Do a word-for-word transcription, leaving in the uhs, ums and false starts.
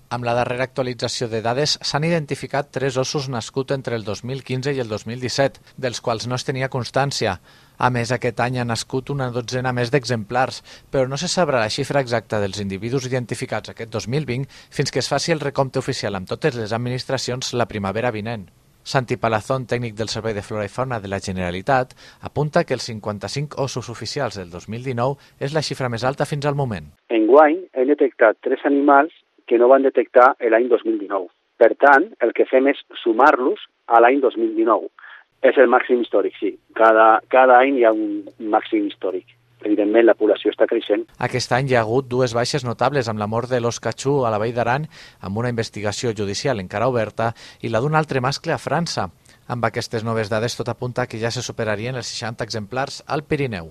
Amb la darrera actualització de dades s'han identificat tres ossos nascuts entre el dos mil quinze i el dos mil disset, dels quals no es tenia constància. A més, aquest any ha nascut una dotzena més d'exemplars, però no se sabrà la xifra exacta dels individus identificats aquest dos mil vint fins que es faci el recompte oficial amb totes les administracions la primavera vinent. Santi Palazón, tècnic del Servei de Flora i Fauna de la Generalitat, apunta que els cinquanta-cinc ossos oficials del dos mil dinou és la xifra més alta fins al moment. Enguany hem detectat tres animals que no van detectar l'any dos mil dinou. Per tant, el que fem és sumar-los a l'any dos mil dinou. És el màxim històric, sí. Cada, cada any hi ha un màxim històric. Evidentment, la població està creixent. Aquest any hi ha hagut dues baixes notables amb la mort de l'os catxú a la Vall d'Aran, amb una investigació judicial encara oberta, i la d'un altre mascle a França. Amb aquestes noves dades, tot apunta que ja se superarien els seixanta exemplars al Pirineu.